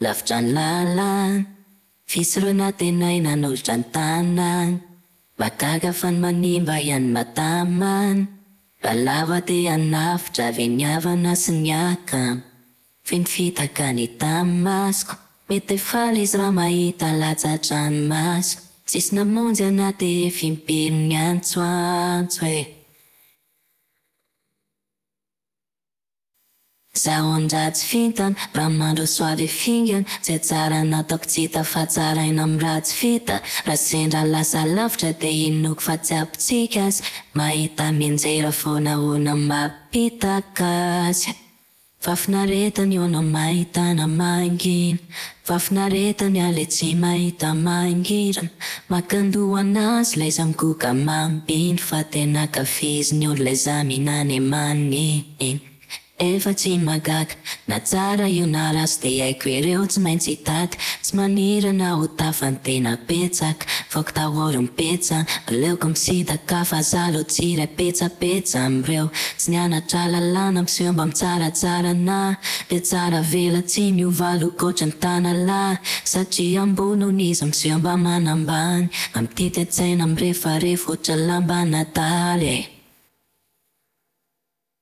Lavitra ny lalana, vitsy ireo nantenaina hanolotra ny tanana. Mahagaga fa ny manimba ihany no mahatamana. Raha lava te hanafotra ve ny havana sy ny akama? Feno fitaka ny hita masoko. Mety faly izy raha mahita latsa-dranomaso. Tsisy namonjy anahy dia efa im-piry niantsoantso e. Izaho an-dratsy vintana, raha mandroso avy fingana. Izay tsara nataoko tsy hita fa tsaraina amin'ny ratsy vita. Raha sendra lasa lavitra dia inoako fa tsy ampy azy. Mahita mianjera foana ahoana mampitaka azy. Fahafinaretana io no mahita anahy mangina. Fahafinaretana aho ilay tsy mahita mangirana. Maka an-doha anazy ilay izaho migoka mampino fa tena ankafiziny hono ilay izaho mihinana e maninn. Efa tsy mahagaga, na tsara io na ratsy dia haiko ireo tsy maintsy hitady. Tsy maniry anahy ho tafa ny tena betsaka. Faoko daholo ny petsa, aleoko misintaka fa za aloha tsy hiray petsapetsa amin'ireo. Tsy nianatra lalàna miseho mba mitsaratsara anahy. Dia tsara velatsihy miova loko ohatran'ny tanalahy. Satria ambony hono izy miseho mba manambany. Mampitety an-tsaina mirefarefa ohatran'ny lamban'adala e.